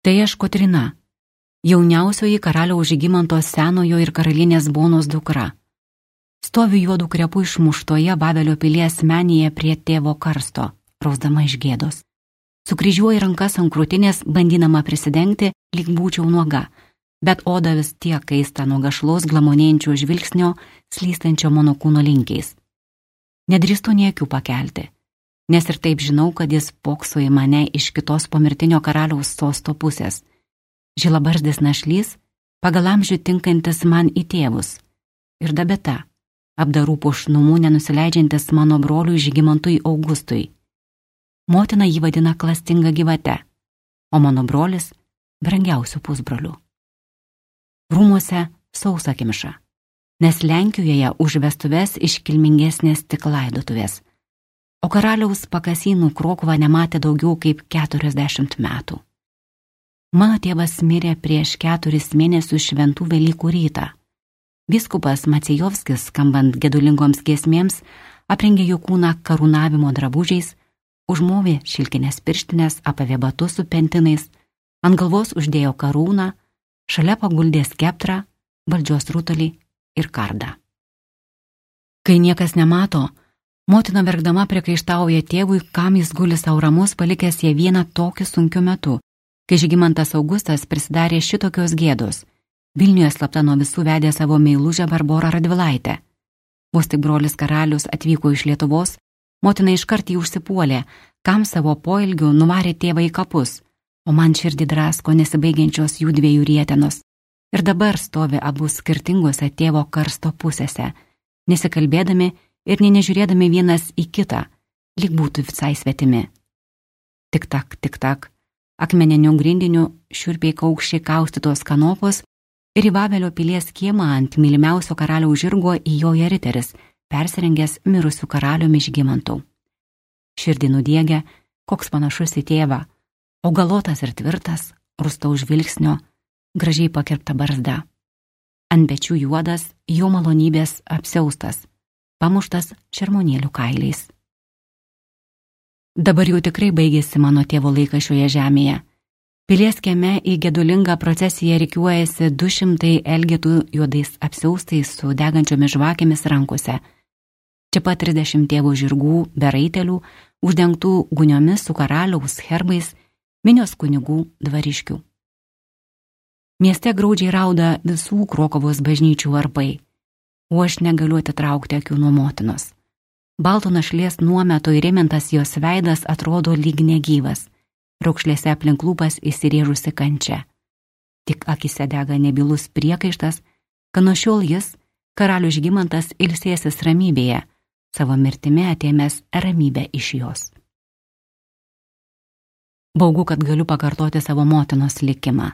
Tai aš Kotryna, jauniausioji karaliaus Žygimanto senojo ir karalienės Bonos dukra. Stoviu juodų krepų išmuštoje Vavelio pilies menėje prie tėvo karsto, rausdama iš gėdos. Sukryžiuoju rankas ant krūtinės, bandydama prisidengti, lyg būčiau nuoga, bet oda vis tiek kaista nuo gašlaus glamonėjančio žvilgsnio, slystančio mano kūno linkiais. Nedrįstu nė akių pakelti, nes ir taip žinau, kad jis pokso į mane iš kitos pomirtinio karaliaus sosto pusės. Žilabarzdis našlys, pagal amžių tinkantis man į tėvus. Ir dabeta, apdarų puošnumų nenusileidžiantis mano broliui Žygimantui Augustui. Motina jį vadina klastinga gyvate, o mano brolis brangiausių pusbrolių. Rūmuose sausa kimša, nes Lenkijoje už vestuves iškilmingesnės tik laidotuvės, o karaliaus pakasynų Krokuva nematė daugiau kaip 40 metų. Mano tėvas mirė prieš 4 mėnesius šventų Velykų rytą. Vyskupas Macijovskis, skambant gedulingoms giesmėms, aprengė jo kūną karūnavimo drabužiais, užmovė šilkinės pirštinės, apavė batus su pentinais, ant galvos uždėjo karūną, šalia paguldė skeptrą, valdžios rutulį ir kardą. Kai niekas nemato, motina verkdama priekaištauja tėvui, kam jis guli sau ramus, palikęs ją vieną tokiu sunkiu metu, kai Žygimantas Augustas prisidarė šitokios gėdos. Vilniuje slapta nuo visų vedė savo meilužę Barborą Radvilaitę. Vos tik brolis karalius atvyko iš Lietuvos, motina iškart jį užsipuolė, kam savo poilgiu nuvarė tėvą į kapus, o man širdį drasko nesibaigiančios jų dviejų rietenos. Ir dabar stovi abu skirtingose tėvo karsto pusėse, nesikalbėdami ir nežiūrėdami vienas į kitą, lyg būtų visai svetimi. Tik tak, akmeniniu grindiniu šiurpiai kaukščiai kaustytos kanopos ir į Vavelio pilies kiemą ant mylimiausio karaliaus žirgo įjoja riteris, persirengęs mirusių karaliumi Žygimantu. Širdį nudiegė, koks panašus į tėvą, augalotas ir tvirtas, rūstaus žvilgsnio, gražiai pakirpta barzda. Ant pečių juodas, jo malonybės apsiaustas, pamuštas šermonėlių kailiais. Dabar jau tikrai baigėsi mano tėvo laikas šioje žemėje. Pilies kieme į gedulingą procesiją rikiuojasi 200 elgetų juodais apsiaustais su degančiomis žvakėmis rankose. Čia pat 30 tėvų žirgų, be raitelių, uždengtų guniomis su karaliaus herbais, minios kunigų dvariškių. Mieste graudžiai rauda visų Krokuvos bažnyčių varpai, o aš negaliu atitraukti akių nuo motinos. Balto našlės nuometo įrėmintas jos veidas atrodo lyg negyvas, raukšlėse aplink lūpas įsirėžusi kančia. Tik akise dega nebylus priekaištas, kad nuo šiol jis, karalius Žygimantas, ilsėsis ramybėje, savo mirtimi atėmęs ramybę iš jos. Baugu, kad galiu pakartoti savo motinos likimą.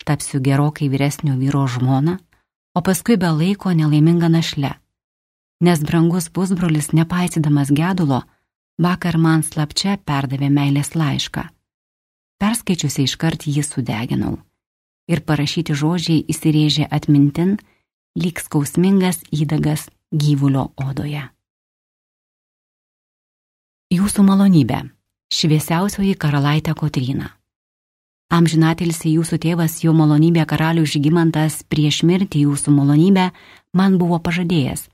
Tapsiu gerokai vyresnio vyro žmona, o paskui be laiko nelaiminga našle. Nes brangus pusbrolis, nepaisydamas gedulo, vakar man slapčia perdavė meilės laišką. Perskaičiusi iškart jį sudeginau. Ir parašyti žodžiai įsirėžė atmintin, lyg skausmingas įdagas gyvulio odoje. Jūsų malonybė, šviesiausioji karalaitė Kotryna. Amžinatilsį jūsų tėvas, jo malonybė karalius Žygimantas, prieš mirtį jūsų malonybę man buvo pažadėjęs,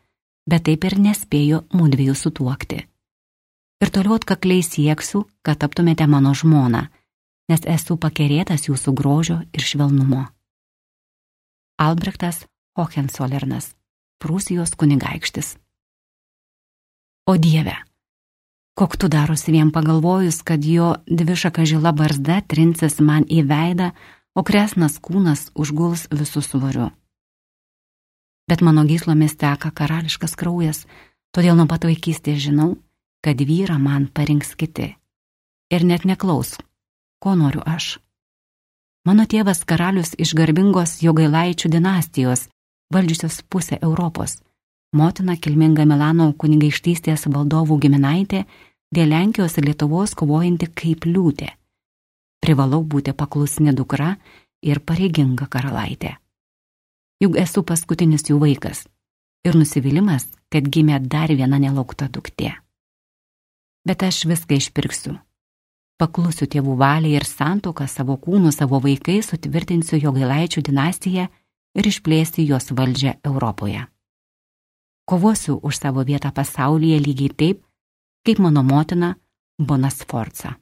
bet taip ir nespėjo mudviejų sutuokti. Ir toliau atkakliai sieksiu, kad taptumėte mano žmona, nes esu pakerėtas jūsų grožio ir švelnumo. Albrechtas Hohenzollernas, Prūsijos kunigaikštis. O Dieve, koktu darosi vien pagalvojus, kad jo dvišaka žila barzda trinsis man į veidą, o kresnas kūnas užguls visų svoriu. Bet mano gyslomis teka karališkas kraujas, todėl nuo pat vaikystės žinau, kad vyrą man parinks kiti. Ir net neklaus, ko noriu aš. Mano tėvas karalius iš garbingos Jogailaičių dinastijos, valdžiusios pusę Europos. Motina kilminga Milano kunigaikštystės valdovų giminaitė, dėl Lenkijos ir Lietuvos kovojanti kaip liūtė. Privalau būti paklusni dukra ir pareiginga karalaitė. Juk esu paskutinis jų vaikas ir nusivylimas, kad gimė dar viena nelaukta duktė. Bet aš viską išpirksiu. Paklusiu tėvų valiai ir santuoką savo kūnu, savo vaikais sutvirtinsiu Jogailaičių dinastiją ir išplėsti jos valdžią Europoje. Kovosiu už savo vietą pasaulyje lygiai taip, kaip mano motina Bona Sforza.